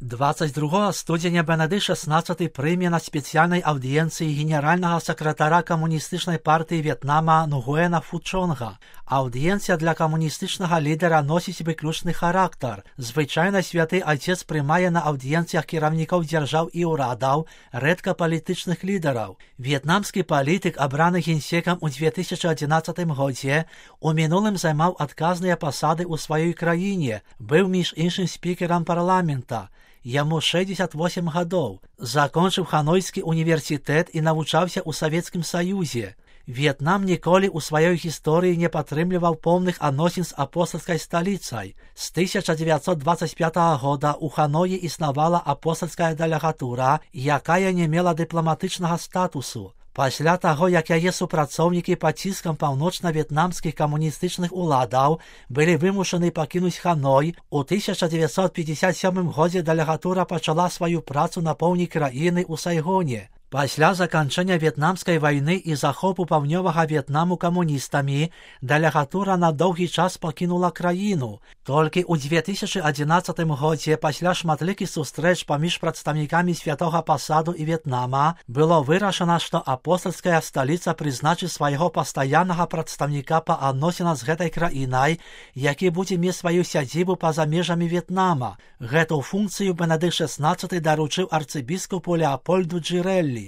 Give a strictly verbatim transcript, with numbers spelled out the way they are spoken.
двадцать другого студзеня Бенедикт шестнадцатый прийме на спеціальній аудієнції генерального секретаря Комуністичної партії В'єтнама Нгуена Фу Чонга. Аудієнція для комуністичного лідера носить виключний характер. Звичайно, святий отець приймає на аудієнціях керівників держав і урадів, редко політичних лідерів. В'єтнамський політик, обраний генсеком у дві тисячі одинадцятому році, у минулому займав відказні посади у своїй країні, був між іншим спікером парламенту. Йому шістдесят вісім років, закінчив Ханойський університет і навчався у Совєтському Союзі. В'єтнам ніколи у своїй історії не підтримував повних відносин з апостольською столицею. З тисяча дев'ятсот двадцять п'ятого року у Ханої існувала апостольська делегатура, яка не мала дипломатичного статусу. Після того, як її супрацовники під тиском північно-в'єтнамських комуністичних уладів були вимушені покинути Ханой, у тисяча дев'ятсот п'ятдесят сьомому році делегатура почала свою працю на повній країни у Сайгоні. Після закінчення В'єтнамської війни і захопу Південного В'єтнаму комуністами, делегатура на довгий час покинула країну. Тільки у дві тисячі одинадцятому році, після шматликих зустріч поміж представниками Святого Посаду і В'єтнама, було вирішено, що апостольська столиця призначить свого постійного представника по відносинам з цією країною, який буде мати свою сядзибу поза межами В'єтнама. Цю функцію Бенедикт шістнадцятий доручив арцибіскупу Леопольду Джиреллі.